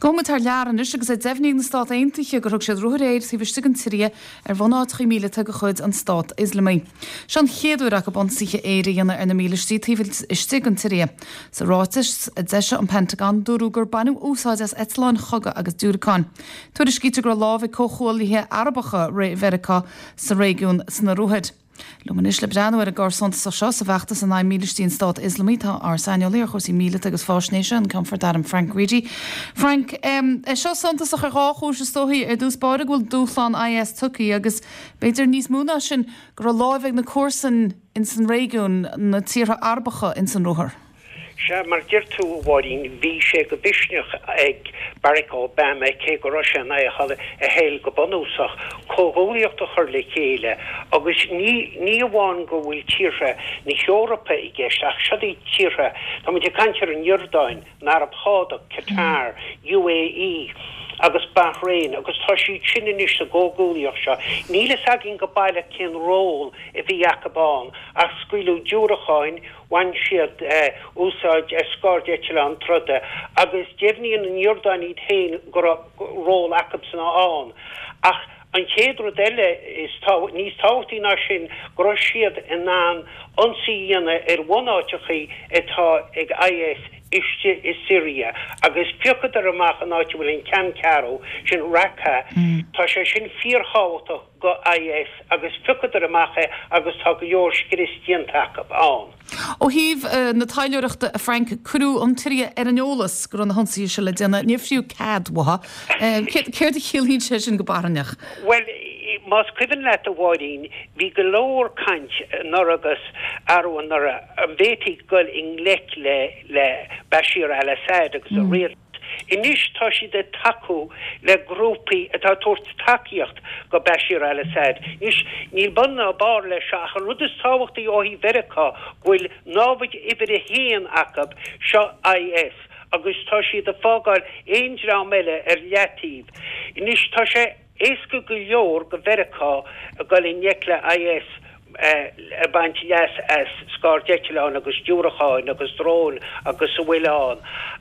Gabhfaidh muid thar lear anois agus é deimhnithe ag na Stát Aontaithe gur thug siad ruathar aeir taobh istigh den tSiria ar bhunáiteacha míleata de chuid an Stát Ioslamaigh. Seo an chéad uair acu ionsaithe aeir a dhéanamh ar na mílístí taobh istigh den tSiria. Sa ráiteas a d'eisigh an Pentagon, dúradh gur baineadh úsáid as eitleáin chogaidh agus diúracáin. Tuairiscítear go raibh lámh ag comhghuaillithe Arabacha Mheiriceá sa réigiún sna ruathair. Liom anois le breathnú ar an gcor suntasach seo sa bhfeachtas in aghaidh mílístí an Stát Ioslamaigh tá ár saineolaí ar chúrsaí míleata agus faisnéise, an Ceannfort Airm Frank Reidy. Frank, é seo suntasach ar dhá chúis is dóichí, ar dtús báire go bhfuil dúshlán IS tugtha agus b'fhéidir níos mó ná sin go raibh láimh ag na comharsain ins an réigiún, na tíortha Arabacha ins an ruathar. Sea, mar a deir tú, a Mháirín, bhí sé de mhisneach ag Barack Obama, cé go raibh sé in aghaidh a thoil go bunúsach, comhghuaillíocht a chur le chéile agus ní ní amháin go bhfuil tíortha na hEorpa i gceist ach siod iad tíortha, tá muid ag caint ar an Iordáin, an Araib Shádach, Qatar, UAE agus Bahrain agus tá siad sin anois sa gcomhghuaillíocht seo. Níl fhios againn go baileach cén ról a bhí acu ann ach scaoileadh diúracáin, Bhain siad úsáid as scairdeitleáin troda agus deimhníonn an Iordáin iad féin go raibh ról acubsan ann. Ach an chéad rud eile, is níos tábhachtaí ná sin, go raibh siad in ann ionsaí a dhéanamh ar bhunáiteachaí atá ag IS istigh i Siria agus phiocadar amach an áit a bhfuil an ceanncheathrú, sin Raqqa. Tá sé sin fíorthábhachtach. go IS agus phiocadar amach é agus tá go leor scrios déanta acu ann. Ó thaobh na taidhleoireachta, a Frank, cuireadh an tSiria ar an eolas go raibh na hionsaithe seo le déanamh. Níor fríothadh cead uathu. Céard a chiallaíonn sé sin go barainneach? Bhuel, más cuimhin leat, a Mháirín, bhí go leor caint anuraidh agus arú anuraidh an bhféadfaí dul i ngleic le Bashir al-Assad agus a rialtas. Anois tá siad ag tacú le grúpaí atá ag tabhairt tacaíocht go Bashir al-Assad. Anois, níl bun ná barr leis seo ach an rud is tábhachtaí ó thaobh Mheiriceá go bhfuil námhaid uimhir a haon acu, seo IS, agus tá siad ag fágáil aon dream eile ar leataobh. Anois, tá sé. Éasca go leor go Mheiriceá a dhul i ngleic le IS ag baint leas as scairdeitleáin agus diúracáin agus dróin agus a bhfuil ann.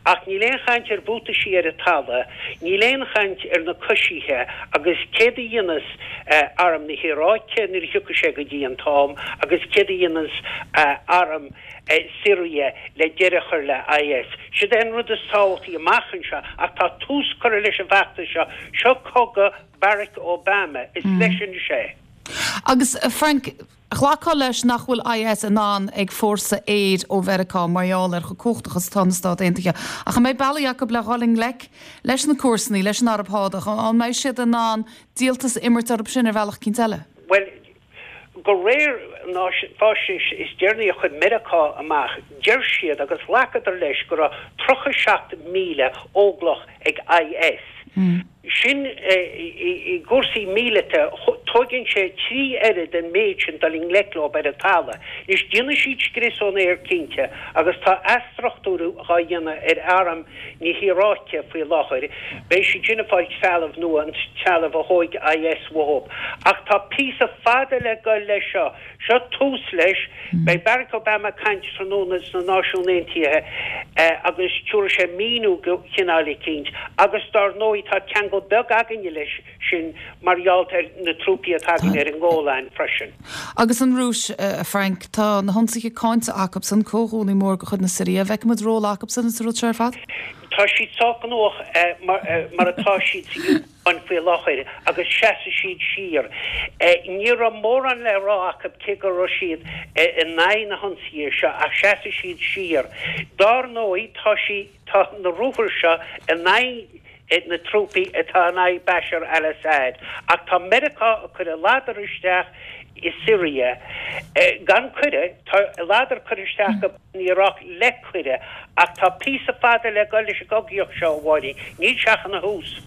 Ach níl aon chaint ar bhuataisí ar an talamh, níl aon chaint ar na coisithe agus céard a dhéanfas arm na hIaráice nuair a thiocfaidh sé go dtí an t-am agus céard a dhéanfas arm Siria le deireadh a chur le IS. Siod é an rud is tábhachtaí amach anseo ach tá tús curtha leis an bhfeachtas seo. Seo cogadh Barack Obama. Is leis anois é. Agus, Frank, ghlacfá leis nach bhfuil IS in ann ag fórsa aeir ó Mheiriceá mar gheall ar chomh cumhachtach is atá na Stáit Aontaithe. Ach an mbeidh bealaí acu le dhul i ngleic leis na comharsanaí, leis an Araib Shádach? An mbeidh siad in ann díoltas a imirt orthu sin ar bhealach eicínt eile? Bhuel, De réir na faisnéise is deireanaí a chuir Meiriceá amach, deir siad, agus ghlacadar leis, go raibh 37,000 óglach ag IS. Sin, i gcúrsaí míleata, tóigeann sé 3 oiread an méid sin dul i ngleic leo ar an talamh. Anois, déanfaidh siad scrios ón aer cinnte, agus tá athstruchtúrú dhá dhéanamh ar arm na hIaráice faoi láthair. Beidh siad sin ag fáil trealamh nua, an trealamh a thóig IS uathu. Ach tá píosa fada le goil leis seo. Seo tús leis. Beidh Barack Obama ag caint tráthnóna sna Náisiúin Aontaithe agus tabharfaidh sé míniú de chineál eicínt. Agus dár ndóigh tá ceangal beag againne leis. sin mar gheall ar na trúpaí atá againn ar an nGolan freisin. Agus an Rúis, a Frank, tá na hionsaithe cáinte acubsan, comhghuaillí mór de chuid na Siria. An bhfeicfidh muid ról acubsan sa rud seo ar fad? Tá siad sách gnóthach mar atá siad sa Úcráin faoi láthair agus seasfaidh siad siar. Ní raibh mórán le rá acu cé go raibh siad in aghaidh na hionsaithe seo ach seasfaidh siad siar. Dár ndóigh tá tá na ruathair seo in aghaidh na trúpaí atá in aghaidh Bashar al-Assad, ach tá Meiriceá ag cur a ladar isteach i Siria gan cuireadh, tá a ladar curtha isteach acu in Iaráic le cuireadh, ach tá píosa fada le dul leis an gcogaíocht seo, a Mháirín, níl sé ach ina thús.